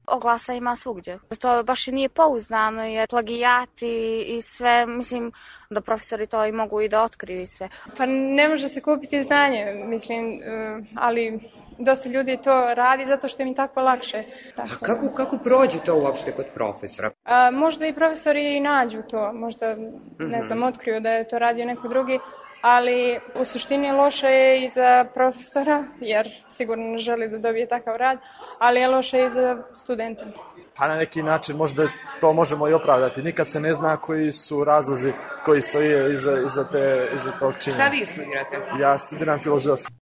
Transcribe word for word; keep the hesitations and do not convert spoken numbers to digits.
Oglasa ima svugdje. To baš i nije pouzdano jer plagijati i sve, mislim da profesori to i mogu i da otkriju i sve. Pa ne može se kupiti znanje, mislim, ali dosta ljudi to radi zato što im je tako lakše. Tako. A kako, kako prođe to uopšte kod profesora? A, možda i profesori i nađu to, možda, ne znam, otkriju da je to radio neko drugi, ali u suštini loše je i za profesora, jer sigurno ne želi da dobije takav rad, ali je loše i za studenta. Pa na neki način možda to možemo i opravdati. Nikad se ne zna koji su razlozi koji stoje iza, iza, te, iza tog činjenja. Šta vi studirate? Ja studiram filozofiju.